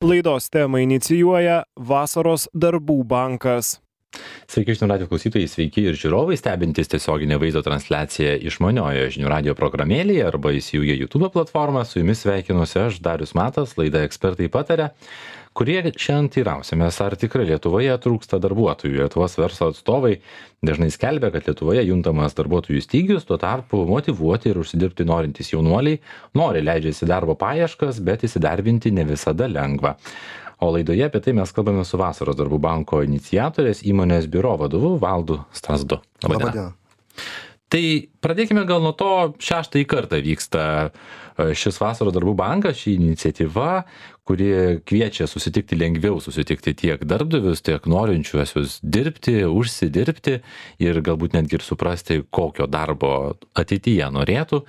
Laidos temą inicijuoja Vasaros darbų bankas. Sveiki žinių radijo klausytojai, sveiki ir žiūrovai, stebintys tiesioginę vaizdo transliaciją išmaniojoje žinių radijo programėlėje arba įsijungę YouTube platformą. Su jumis sveikinuosi aš, Darius Matas, laida Ekspertai pataria, kurie šiandien teirausimės, ar tikrai Lietuvoje trūksta darbuotojų. Lietuvos verslo atstovai dažnai skelbia, kad Lietuvoje juntamas darbuotojų stygius, tuo tarpu motyvuoti ir užsidirbti norintys jaunuoliai nori leidžiasi darbo paieškas, bet įsidarbinti ne visada lengva. O laidoje apie tai mes kalbame su Vasaros darbų banko iniciatorės įmonės biuro vadovu Valdu Strazdu. Labą dieną. Tai pradėkime gal nuo to, 6. kartą vyksta šis Vasaros darbų bankas, ši iniciatyva, kuri kviečia lengviau susitikti tiek darbdavius, tiek norinčiuosius dirbti, užsidirbti ir galbūt netgi ir suprasti, kokio darbo ateityje norėtų.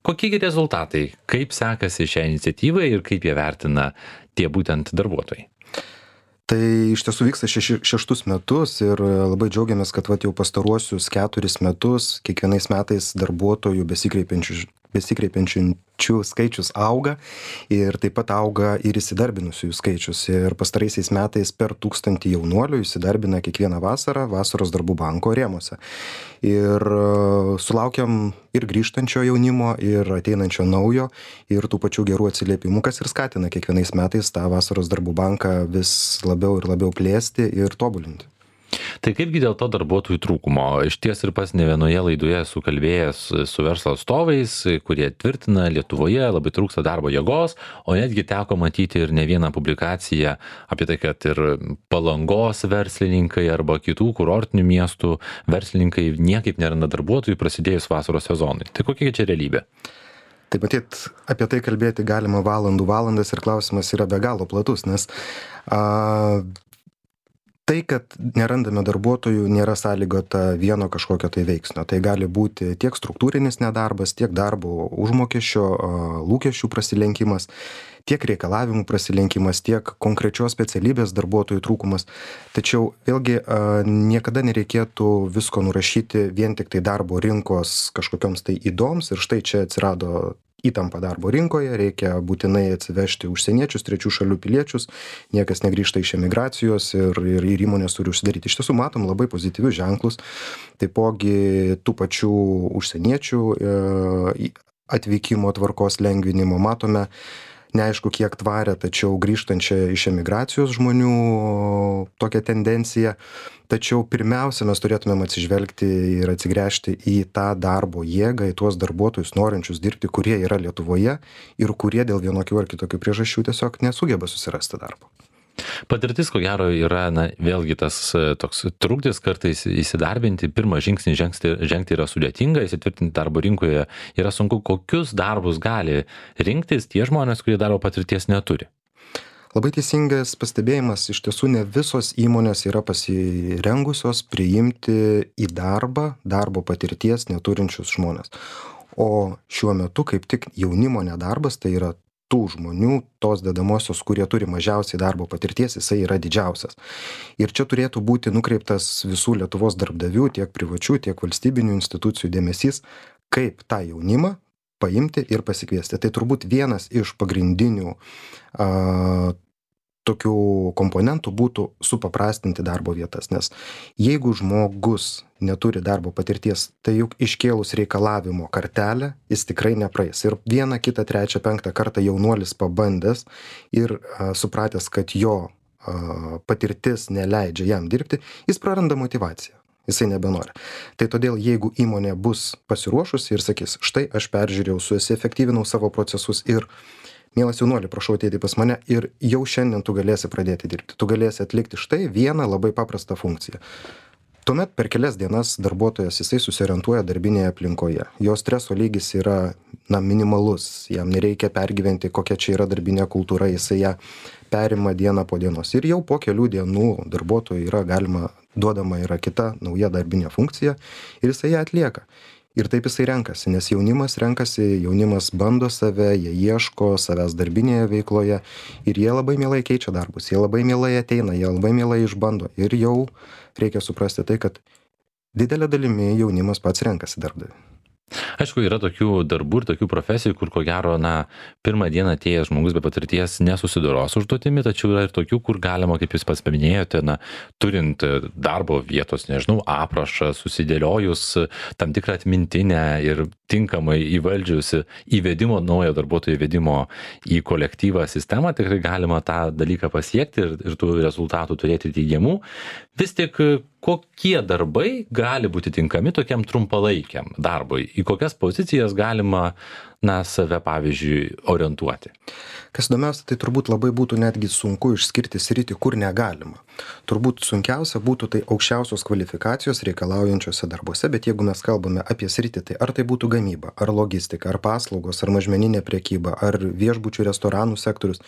Kokie rezultatai, kaip sekasi šią iniciatyvą ir kaip jie vertina tie būtent darbuotojai? Tai iš tiesų vyksta 6 metus ir labai džiaugiamės, kad jau pastaruosius 4 metus kiekvienais metais darbuotojų besikreipiančių skaičius auga ir taip pat auga ir įsidarbinusiųjų skaičius. Ir pastaraisiais metais per 1000 jaunuolių įsidarbina kiekvieną vasarą Vasaros darbų banko rėmuose. Ir sulaukiam ir grįžtančio jaunimo, ir ateinančio naujo, ir tų pačių gerų atsiliepimų, kas ir skatina kiekvienais metais tą Vasaros darbų banką vis labiau ir labiau plėsti ir tobulinti. Tai kaipgi dėl to darbuotojų trūkumo? Iš ties ir pas ne vienoje laidoje esu kalbėjęs su verslo atstovais, kurie tvirtina, Lietuvoje labai trūksta darbo jėgos, o netgi teko matyti ir ne vieną publikaciją apie tai, kad ir Palangos verslininkai arba kitų kurortinių miestų verslininkai niekaip neranda darbuotojų prasidėjus vasaros sezonui. Tai kokia čia realybė? Tai matyt, apie tai kalbėti galima valandas ir klausimas yra be galo platus, nes tai, kad nerandame darbuotojų, nėra sąlygota vieno kažkokio tai veiksnio. Tai gali būti tiek struktūrinis nedarbas, tiek darbo užmokesčio lūkesčių prasilenkimas, tiek reikalavimų prasilenkimas, tiek konkrečios specialybės darbuotojų trūkumas. Tačiau vėlgi niekada nereikėtų visko nurašyti vien tik tai darbo rinkos kažkokioms tai įdoms ir štai čia atsirado įtampa darbo rinkoje, reikia būtinai atsivežti užsieniečius, trečių šalių piliečius, niekas negrįžta iš emigracijos ir įmonės turi užsidaryti. Iš tiesų matom labai pozityvius ženklus, taipogi tų pačių užsieniečių atvykimo tvarkos lengvinimo matome, neaišku kiek tvarę, tačiau grįžtančią iš emigracijos žmonių tokią tendenciją. Tačiau pirmiausia, mes turėtumėm atsižvelgti ir atsigręžti į tą darbo jėgą, į tuos darbuotojus norinčius dirbti, kurie yra Lietuvoje ir kurie dėl vienokių ar kitokių priežasčių tiesiog nesugeba susirasti darbo. Patirtis, ko gero, yra, vėlgi tas toks trukdis kartais įsidarbinti, pirmą žingsnį žengti yra sudėtinga, įsitvirtinti darbo rinkoje yra sunku. Kokius darbus gali rinktis tie žmonės, kurie darbo patirties neturi? Labai teisingas pastebėjimas, iš tiesų ne visos įmonės yra pasirengusios priimti į darbo patirties neturinčius žmonės. O šiuo metu kaip tik jaunimo nedarbas, tai yra tų žmonių, tos dedamosios, kurie turi mažiausiai darbo patirties, jisai yra didžiausias. Ir čia turėtų būti nukreiptas visų Lietuvos darbdavių, tiek privačių, tiek valstybinių institucijų dėmesys, kaip tą jaunimą paimti ir pasikviesti. Tai turbūt vienas iš pagrindinių tokių komponentų būtų supaprastinti darbo vietas, nes jeigu žmogus neturi darbo patirties, tai juk iškėlus reikalavimo kartelę, jis tikrai nepraeis. Ir 1, 2, 3, 5 kartą jaunuolis pabandęs ir supratęs, kad jo patirtis neleidžia jam dirbti, jis praranda motyvaciją. Jisai nebenori. Tai todėl, jeigu įmonė bus pasiruošusi ir sakys, štai aš peržiūrėjau, suefektyvinau savo procesus ir mielas jaunuoli, prašau ateiti pas mane ir jau šiandien tu galėsi pradėti dirbti. Tu galėsi atlikti štai vieną labai paprastą funkciją. Tuomet per kelias dienas darbuotojas jisai susiorientuoja darbinėje aplinkoje. Jo streso lygis yra minimalus, jam nereikia pergyventi, kokia čia yra darbinė kultūra, jisai ją perima dieną po dienos. Ir jau po kelių dienų darbuotojui duodama yra kita nauja darbinė funkcija ir jisai ją atlieka. Ir taip jisai renkasi, nes jaunimas bando save, jie ieško savęs darbinėje veikloje ir jie labai mielai keičia darbus, jie labai mielai ateina, jie labai mielai išbando. Ir jau reikia suprasti tai, kad didelė dalimi jaunimas pats renkasi darbdavį. Aišku, yra tokių darbų ir tokių profesijų, kur ko gero, pirmą dieną atėjęs žmogus be patirties nesusidoros užduotimi, tačiau yra ir tokių, kur galima, kaip jūs pats paminėjote, turint darbo vietos, nežinau, aprašą, susidėliojus tam tikrą atmintinę ir tinkamai įvaldžius įvedimo, naujo darbuotojo įvedimo į kolektyvą sistemą, tikrai galima tą dalyką pasiekti ir tų rezultatų turėti teigiamų. Vis tik kokie darbai gali būti tinkami tokiam trumpalaikiam darbui? Į kokias pozicijas galima, save, pavyzdžiui, orientuoti? Kas įdomiausia, tai turbūt labai būtų netgi sunku išskirti sritį, kur negalima. Turbūt sunkiausia būtų tai aukščiausios kvalifikacijos reikalaujančiose darbuose, bet jeigu mes kalbame apie sritį, tai ar tai būtų gamyba, ar logistika, ar paslaugos, ar mažmeninė prekyba, ar viešbučių restoranų sektorius,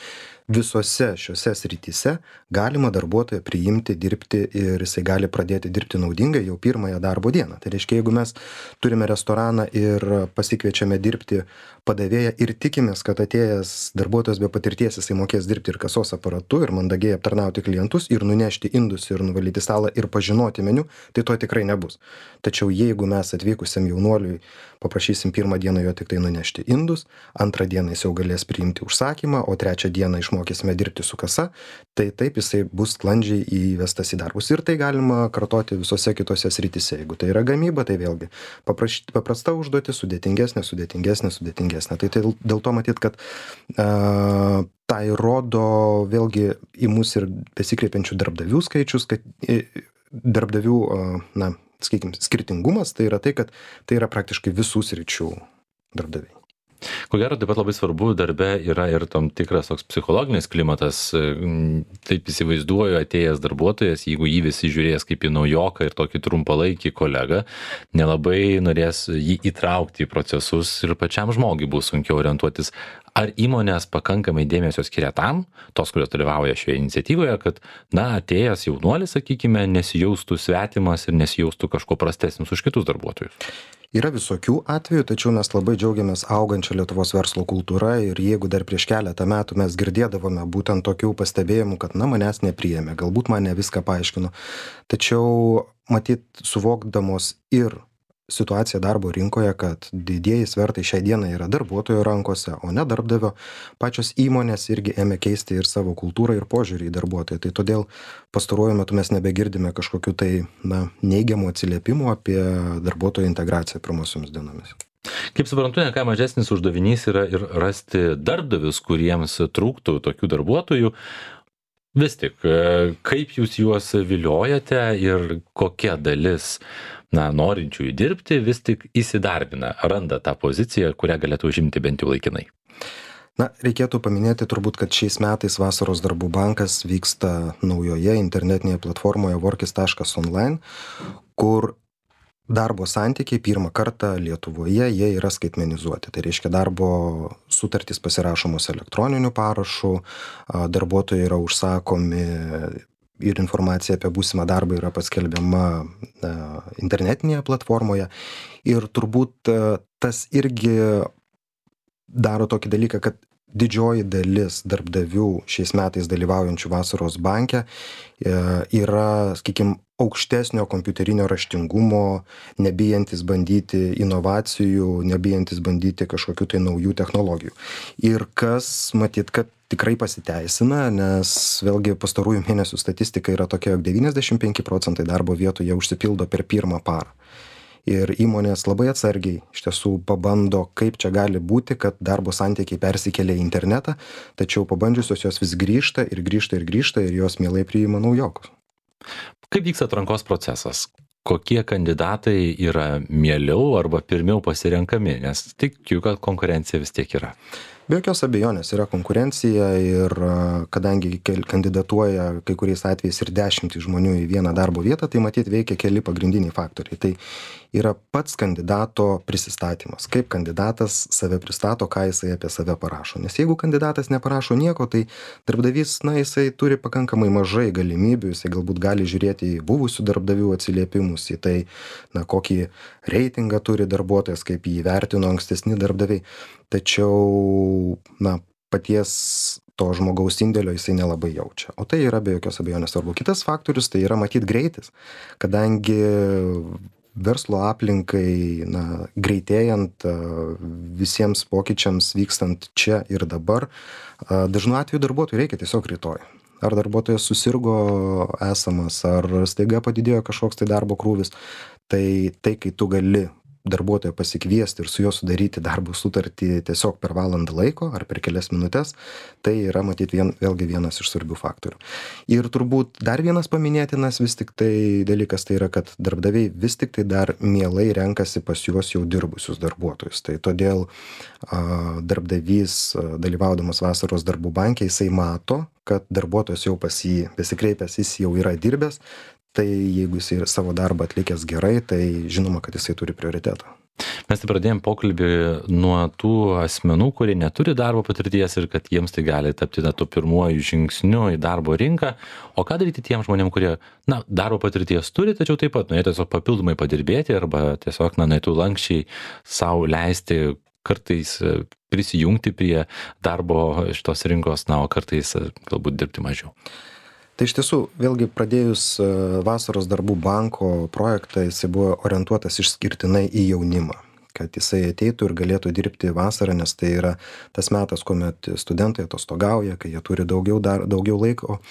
visose šiose srityse galima darbuotoją priimti, dirbti ir jisai gali pradėti dirbti naudingai jau pirmąją darbo dieną. Tai reiškia, jeigu mes turime restoraną ir pasikviečiame dirbti padavėją ir tikimės, kad atėjęs darbuotojas be patirties jisai mokės dirbti ir kasos aparatu, ir mandagiai aptarnauti klientus, ir nunešti indus, ir nuvalyti stalą, ir pažinoti meniu, tai to tikrai nebus. Tačiau jeigu mes atvykusiam jaunuoliui paprašysim pirmą dieną jo tik tai nunešti indus, antrą dieną jis jau galės priimti užsakymą, o trečią dieną išmokysime dirbti su kasa, tai taip jisai bus sklandžiai įvestas į darbus. Ir tai galima kartoti visose kitose srityse. Jeigu tai yra gamyba, tai vėlgi paprasta užduotis, sudėtingesnė. Tai dėl to matyt, kad tai rodo vėlgi į mus ir besikreipiančių darbdavių skaičius, kad darbdavių, sakykime, skirtingumas, tai yra tai, kad tai yra praktiškai visų sričių darbdaviai. Ko gero, taip pat labai svarbu darbe yra ir tam tikras toks psichologinis klimatas. Taip įsivaizduoju, atėjęs darbuotojas, jeigu jį visi žiūrės kaip į naujoką ir tokį trumpalaikį kolegą, nelabai norės jį įtraukti į procesus ir pačiam žmogui bus sunkiau orientuotis. Ar įmonės pakankamai dėmesio skiria tam, tos, kurios dalyvauja šioje iniciatyvoje, kad, atėjęs jaunuolis, sakykime, nesijaustų svetimas ir nesijaustų kažko prastesnis už kitus darbuotojus? Yra visokių atvejų, tačiau mes labai džiaugiamės augančią Lietuvos verslo kultūrą ir jeigu dar prieš keletą metų mes girdėdavome būtent tokių pastebėjimų, kad manęs nepriėmė, galbūt man ne viską paaiškino, tačiau matyt suvokdamos ir situacija darbo rinkoje, kad didieji svertai šiai dienai yra darbuotojo rankose, o ne darbdavio, pačios įmonės irgi ėmė keisti ir savo kultūrą ir požiūrį į darbuotoją. Tai todėl pastaruoju metu mes nebegirdime kažkokių tai neigiamų atsiliepimų apie darbuotojo integraciją pirmosiomis dienomis. Kaip suprantu, ne ką mažesnis uždavinys yra ir rasti darbdavius, kuriems trūktų tokių darbuotojų. Vis tik, kaip jūs juos viliojate ir kokia dalis norinčių įdirbti vis tik įsidarbina, randa tą poziciją, kurią galėtų užimti bent jau laikinai? Reikėtų paminėti turbūt, kad šiais metais Vasaros darbų bankas vyksta naujoje internetinėje platformoje workis.online, kur darbo santykiai pirmą kartą Lietuvoje jie yra skaitmenizuoti. Tai reiškia, darbo sutartys pasirašomos elektroniniu parašu, darbuotojai yra užsakomi ir informacija apie būsimą darbą yra paskelbiama internetinėje platformoje. Ir turbūt tas irgi daro tokį dalyką, kad didžioji dalis darbdavių šiais metais dalyvaujančių Vasaros banke yra, sakykime, aukštesnio kompiuterinio raštingumo, nebijantis bandyti inovacijų, nebijantis bandyti kažkokių tai naujų technologijų. Ir kas, matyt, kad tikrai pasiteisina, nes vėlgi pastarųjų mėnesių statistika yra tokia, jog 95% darbo vietų jie užsipildo per pirmą parą. Ir įmonės labai atsargiai iš tiesų pabando, kaip čia gali būti, kad darbo santykiai persikelia į internetą, tačiau pabandžiusios jos vis grįžta ir jos mielai priima naujokus. Kaip vyksta atrankos procesas? Kokie kandidatai yra mieliau arba pirmiau pasirenkami, nes tikiu, kad konkurencija vis tiek yra? Be jokios abejonės yra konkurencija ir kadangi kandidatuoja kai kuriais atvejais ir 10 žmonių į vieną darbo vietą, tai matyt veikia keli pagrindiniai faktoriai. Tai yra pats kandidato prisistatymas. Kaip kandidatas save pristato, ką jisai apie save parašo. Nes jeigu kandidatas neparašo nieko, tai darbdavys, jisai turi pakankamai mažai galimybių, jisai galbūt gali žiūrėti į buvusių darbdavių atsiliepimus, į tai, kokį reitingą turi darbuotojas, kaip jį vertino ankstesni darbdaviai. Tačiau, paties to žmogaus indėlio jisai nelabai jaučia. O tai yra be jokios abejonės svarbu. Kitas faktorius tai yra matyt greitis, kadangi verslo aplinkai, greitėjant, visiems pokyčiams vykstant čia ir dabar, dažnu atveju darbuotojui reikia tiesiog rytoj. Ar darbuotojas susirgo esamas, ar staiga padidėjo kažkoks tai darbo krūvis, tai kai tu gali darbuotoją pasikviesti ir su juo sudaryti darbo sutartį tiesiog per valandą laiko ar per kelias minutes, tai yra matyt vėlgi vienas iš svarbių faktorių. Ir turbūt dar vienas paminėtinas vis tik tai dalykas tai yra, kad darbdaviai vis tik tai dar mielai renkasi pas juos jau dirbusius darbuotojus. Tai todėl darbdavys, dalyvaudamas vasaros darbų banke, jisai mato, kad darbuotojas jau pas jį besikreipęs, jis jau yra dirbęs, tai jeigu jisai savo darbą atlikęs gerai, tai žinoma, kad jisai turi prioritetą. Mes tai pradėjom pokalbį nuo tų asmenų, kurie neturi darbo patirties ir kad jiems tai gali tapti tuo pirmuoju žingsniu į darbo rinką. O ką daryti tiem žmonėm, kurie, darbo patirties turi, tačiau taip pat norėtų tiesiog papildomai padirbėti arba tiesiog, norėtų lankščiai sau leisti kartais prisijungti prie darbo šitos rinkos, o kartais galbūt dirbti mažiau. Tai iš tiesų, vėlgi pradėjus vasaros darbų banko projektą, jisai buvo orientuotas išskirtinai į jaunimą, kad jisai ateitų ir galėtų dirbti vasarą, nes tai yra tas metas, kuomet studentai atostogauja, kai jie turi daugiau laiko.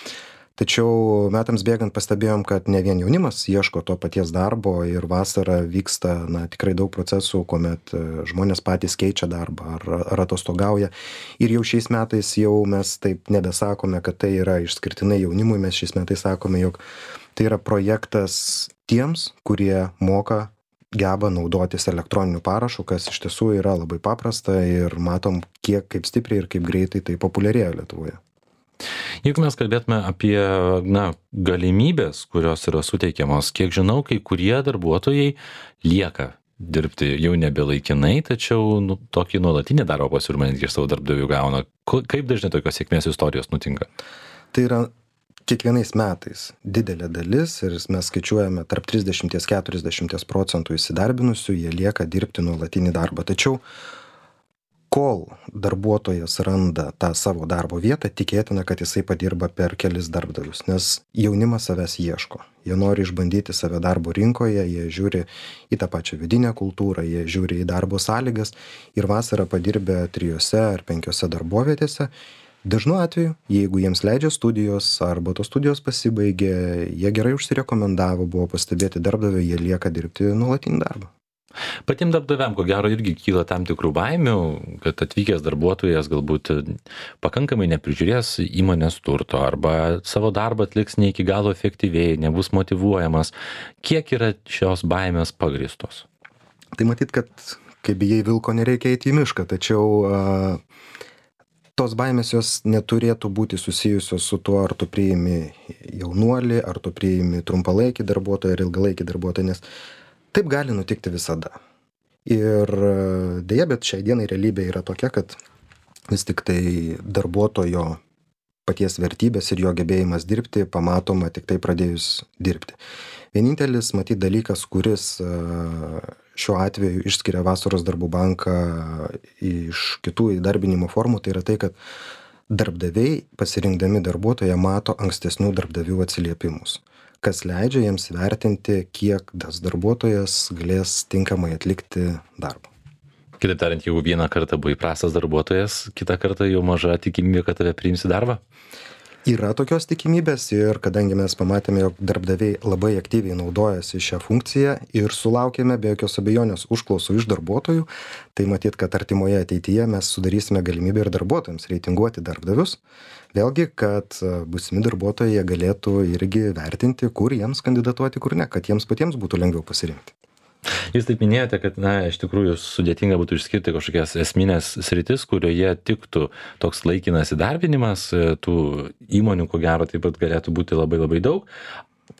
Tačiau metams bėgant pastebėjom, kad ne vien jaunimas ieško to paties darbo ir vasarą vyksta tikrai daug procesų, kuomet žmonės patys keičia darbą ar atostogauja. Ir jau šiais metais jau mes taip nebesakome, kad tai yra išskirtinai jaunimui, mes šiais metais sakome, jog tai yra projektas tiems, kurie moka, geba naudotis elektroniniu parašu, kas iš tiesų yra labai paprasta ir matom, kaip stipriai ir kaip greitai tai populiarėja Lietuvoje. Jeigu mes kalbėtume apie galimybės, kurios yra suteikiamos, kiek žinau, kai kurie darbuotojai lieka dirbti jau nebe laikinai, tačiau tokį nuolatinį darbo pasiūlymą netgi iš savo darbdavių gauna. Kaip dažnai tokios sėkmės istorijos nutinka? Tai yra kiekvienais metais didelė dalis ir mes skaičiuojame tarp 30–40% įsidarbinusių, jie lieka dirbti nuolatinį darbą. Tačiau kol darbuotojas randa tą savo darbo vietą, tikėtina, kad jisai padirba per kelis darbdavius, nes jaunimas savęs ieško. Jie nori išbandyti save darbo rinkoje, jie žiūri į tą pačią vidinę kultūrą, jie žiūri į darbo sąlygas ir vasarą padirbę 3 ar 5 darbovietėse. Dažnu atveju, jeigu jiems leidžia studijos arba tos studijos pasibaigė, jie gerai užsirekomendavo, buvo pastebėti darbdavio, jie lieka dirbti nuolatinį darbą. Patiem darbdaviam, ko gero, irgi kyla tam tikrų baimių, kad atvykęs darbuotojas galbūt pakankamai neprižiūrės įmonės turto arba savo darbą atliks ne iki galo efektyviai, nebus motyvuojamas. Kiek yra šios baimės pagrįstos? Tai matyt, kad kai bijai vilko, nereikia eiti į mišką, tačiau tos baimės jos neturėtų būti susijusios su tuo, ar tu priimi jaunuolį, ar tu priimi trumpalaikį darbuotoją ar ilgalaikį darbuotoją, nes taip gali nutikti visada. Ir deja, bet šiai dienai realybė yra tokia, kad vis tik tai darbuotojo paties vertybės ir jo gebėjimas dirbti pamatoma tik tai pradėjus dirbti. Vienintelis matyt dalykas, kuris šiuo atveju išskiria vasaros darbų banką iš kitų įdarbinimo formų, tai yra tai, kad darbdaviai pasirinkdami darbuotoją mato ankstesnių darbdavių atsiliepimus, kas leidžia jiems vertinti, kiek tas darbuotojas galės tinkamai atlikti darbą. Kitaip tariant, jeigu vieną kartą buvai prastas darbuotojas, kitą kartą jau maža tikimybė, kad tave priims į darbą? Yra tokios tikimybės ir kadangi mes pamatėme, jog darbdaviai labai aktyviai naudojasi šią funkciją ir sulaukėme be jokios abejonės užklausų iš darbuotojų, tai matyt, kad artimoje ateityje mes sudarysime galimybę ir darbuotojams reitinguoti darbdavius. Vėlgi, kad būsimi darbuotojai galėtų irgi vertinti, kur jiems kandidatuoti, kur ne, kad jiems patiems būtų lengviau pasirinkti. Jūs taip minėjote, kad iš tikrųjų sudėtinga būtų išskirti kažkokias esminės sritis, kurioje tiktų toks laikinas įdarbinimas, tų įmonių, ko gero, taip pat galėtų būti labai labai daug.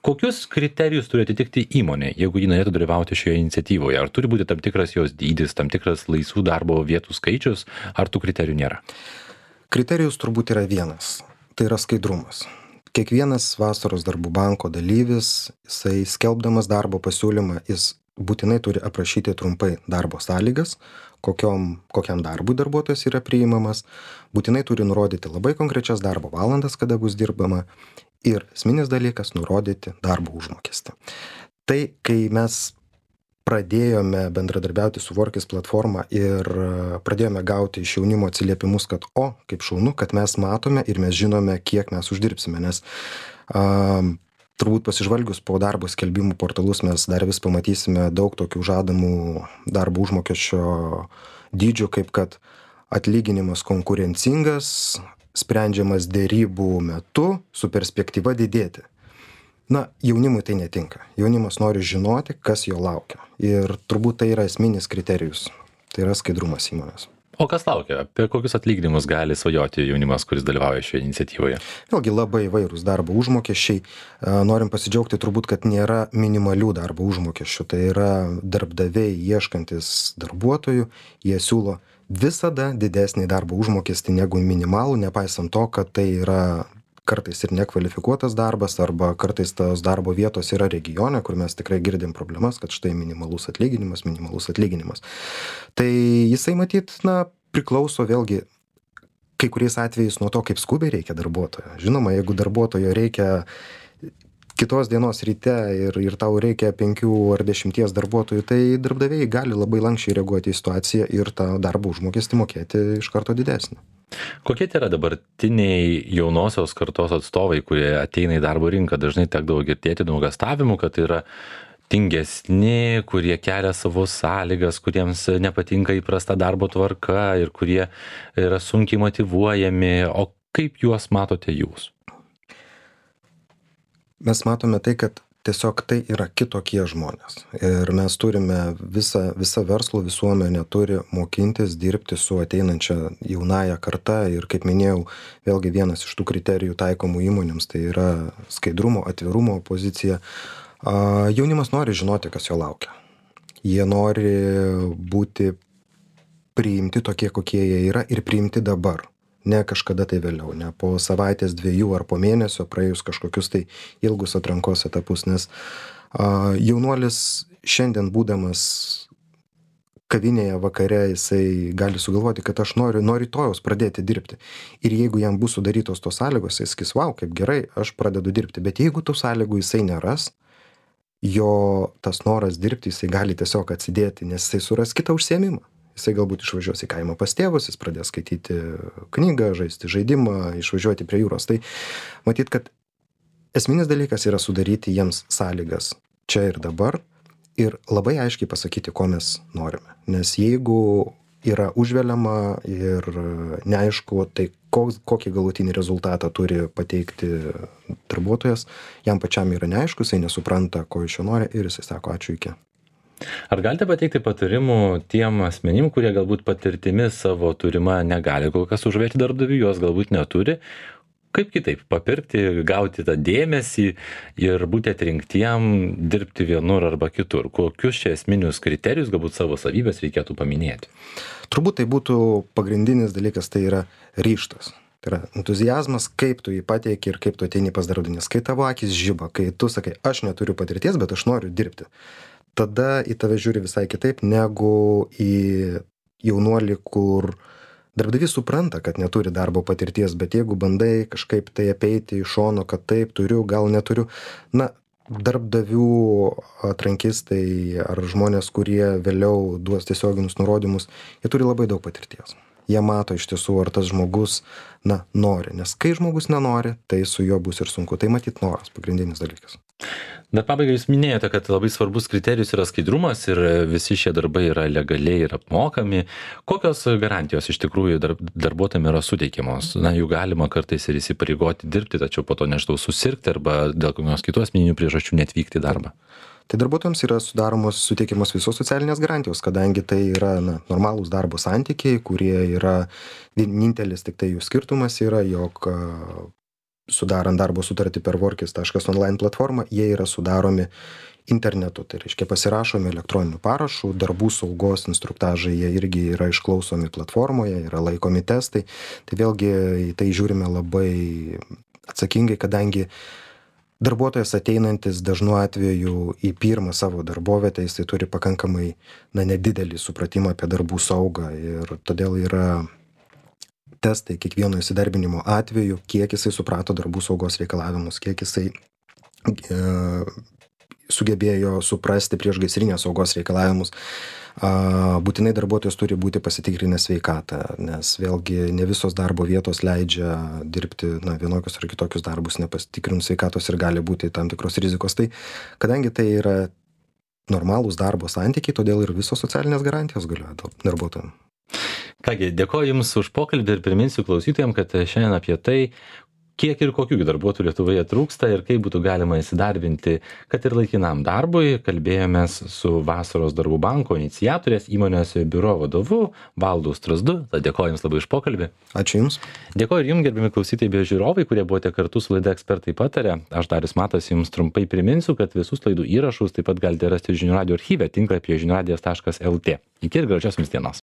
Kokius kriterijus turi atitikti įmonė, jeigu ji norėtų dalyvauti šioje iniciatyvoje? Ar turi būti tam tikras jos dydis, tam tikras laisvų darbo vietų skaičius, ar tų kriterijų nėra? Kriterijus turbūt yra vienas, tai yra skaidrumas. Kiekvienas vasaros darbų banko dalyvis, jisai skelbdamas darbo pasiūlymą, jis būtinai turi aprašyti trumpai darbo sąlygas, kokiam darbui darbuotojas yra priimamas, būtinai turi nurodyti labai konkrečias darbo valandas, kada bus dirbama ir esminis dalykas nurodyti darbo užmokestį. Tai, kai mes pradėjome bendradarbiauti su Workis platforma ir pradėjome gauti iš jaunimo atsiliepimus, kad kaip šaunu, kad mes matome ir mes žinome, kiek mes uždirbsime, nes turbūt pasižvalgius po darbo skelbimų portalus mes dar vis pamatysime daug tokių žadamų darbo užmokesčio dydžių, kaip kad atlyginimas konkurencingas, sprendžiamas dėrybų metu su perspektyva didėti. Na, jaunimui tai netinka. Jaunimas nori žinoti, kas jo laukia. Ir turbūt tai yra esminis kriterijus. Tai yra skaidrumas įmonės. O kas laukia? Apie kokius atlyginimus gali svajoti jaunimas, kuris dalyvauja šioje iniciatyvoje? Vėlgi labai įvairūs darbo užmokesčiai. Norim pasidžiaugti turbūt, kad nėra minimalių darbo užmokesčių. Tai yra darbdaviai ieškantis darbuotojų. Jie siūlo visada didesnį darbo užmokestį negu minimalų, nepaisant to, kad tai yra kartais ir nekvalifikuotas darbas, arba kartais tos darbo vietos yra regione, kur mes tikrai girdim problemas, kad štai minimalus atlyginimas. Tai jisai matyt, priklauso vėlgi kai kuriais atvejais nuo to, kaip skubiai reikia darbuotojo. Žinoma, jeigu darbuotojo reikia kitos dienos ryte ir tau reikia 5 ar 10 darbuotojų, tai darbdaviai gali labai lankščiai reaguoti į situaciją ir tą darbo užmokestį mokėti iš karto didesnį. Kokie tai yra dabartiniai jaunosios kartos atstovai, kurie ateina į darbo rinką? Dažnai tekdavo girdėti nuogąstavimų, kad tai yra tingesni, kurie kelia savo sąlygas, kuriems nepatinka įprasta darbo tvarka ir kurie yra sunkiai motyvuojami. O kaip juos matote jūs? Mes matome tai, kad tiesiog tai yra kitokie žmonės. Ir mes turime visa verslo visuomenė turi mokintis dirbti su ateinančia jaunąja karta. Ir kaip minėjau, vėlgi vienas iš tų kriterijų taikomų įmonėms, tai yra skaidrumo, atvirumo pozicija. Jaunimas nori žinoti, kas jo laukia. Jie nori būti priimti tokie, kokie jie yra ir priimti dabar. Ne kažkada tai vėliau, ne po savaitės, 2 ar po mėnesio praėjus kažkokius tai ilgus atrankos etapus, nes jaunuolis šiandien būdamas kavinėje vakare, jisai gali sugalvoti, kad aš noriu nuo rytojaus pradėti dirbti. Ir jeigu jam bus sudarytos tos sąlygos, jis sakys, vau, kaip gerai, aš pradedu dirbti. Bet jeigu tų sąlygų jisai neras, jo tas noras dirbti, jisai gali tiesiog atsidėti, nes jisai suras kitą užsiėmimą. Jisai galbūt išvažiuos į kaimą pas tėvus, jis pradės skaityti knygą, žaisti žaidimą, išvažiuoti prie jūros. Tai matyt, kad esminis dalykas yra sudaryti jiems sąlygas čia ir dabar ir labai aiškiai pasakyti, ko mes norime. Nes jeigu yra užveliama ir neaišku, tai kokį galutinį rezultatą turi pateikti darbuotojas, jam pačiam yra neaišku, jisai nesupranta, ko iš jo nori ir jisai sako ačiū iki. Ar galite pateikti patarimų tiem asmenim, kurie galbūt patirtimi savo turima negali kol kas užvėti darbdavių, jos galbūt neturi? Kaip kitaip papirkti, gauti tą dėmesį ir būti atrinktiem dirbti vienur arba kitur? Kokius čia esminius kriterijus, galbūt savo savybės reikėtų paminėti? Turbūt tai būtų pagrindinis dalykas, tai yra ryžtas. Tai yra entuziazmas, kaip tu jį pateiki ir kaip tu ateini pas darbdavį. Kai tavo akis žiba, kai tu sakai, aš neturiu patirties, bet aš noriu dirbti. Tada į tave žiūri visai kitaip negu į jaunuolį, kur darbdavys supranta, kad neturi darbo patirties, bet jeigu bandai kažkaip tai apeiti iš šono, kad taip turiu, gal neturiu, darbdavių atrankistai ar žmonės, kurie vėliau duos tiesioginius nurodymus, jie turi labai daug patirties. Jie mato iš tiesų, ar tas žmogus, nori. Nes kai žmogus nenori, tai su juo bus ir sunku. Tai matyt noras, pagrindinis dalykas. Dar pabaigai jūs minėjote, kad labai svarbus kriterijus yra skaidrumas ir visi šie darbai yra legaliai ir apmokami. Kokios garantijos iš tikrųjų darbuotojams yra suteikiamos? Jų galima kartais ir įsipareigoti dirbti, tačiau po to nežinau susirgti arba dėl kokios kitos asmeninių priežasčių neatvykti į darbą. Tai darbuotojams yra suteikiamos visos socialinės garantijos, kadangi tai yra normalūs darbo santykiai, kurie yra vienintelis, tik tai jų skirtumas yra, jog sudarant darbo sutartį per workis.online platformą, jie yra sudaromi internetu. Tai reiškia pasirašomi elektroniniu parašu, darbų saugos instruktažai jie irgi yra išklausomi platformoje, yra laikomi testai. Tai vėlgi į tai žiūrime labai atsakingai, kadangi darbuotojas ateinantis dažnu atveju į pirmą savo darbovietę, jisai turi pakankamai nedidelį supratimą apie darbų saugą ir todėl yra testai kiekvieno įsidarbinimo atveju, kiek jisai suprato darbų saugos reikalavimus, kiek jisai sugebėjo suprasti priešgaisrinės saugos reikalavimus. Būtinai darbuotojas turi būti pasitikrinęs sveikatą, nes vėlgi ne visos darbo vietos leidžia dirbti vienokius ar kitokius darbus nepasitikrinus sveikatos ir gali būti tam tikros rizikos. Tai kadangi tai yra normalūs darbo santykiai, todėl ir visos socialinės garantijos galioja darbuotojams. Kągi, dėkoju Jums už pokalbį ir priminsiu klausytojams, kad šiandien apie tai, kiek ir kokių darbuotojų Lietuvoje trūksta ir kaip būtų galima įsidarbinti, kad ir laikinam darbui, kalbėjomės su Vasaros darbų banko iniciatorės įmonės biuro vadovu Valdu Strazdu. Tad dėkoju Jums labai už pokalbį. Ačiū Jums. Dėkoju ir Jums, gerbimi klausytojai bei žiūrovai, kurie buvote kartu su laida Ekspertai pataria. Aš Darius Matas Jums trumpai priminsiu, kad visus laidų įrašus taip pat galite rasti žinių radijo archyve tinklapyje žiniųradijas.lt. Iki ir gražios Jums dienos.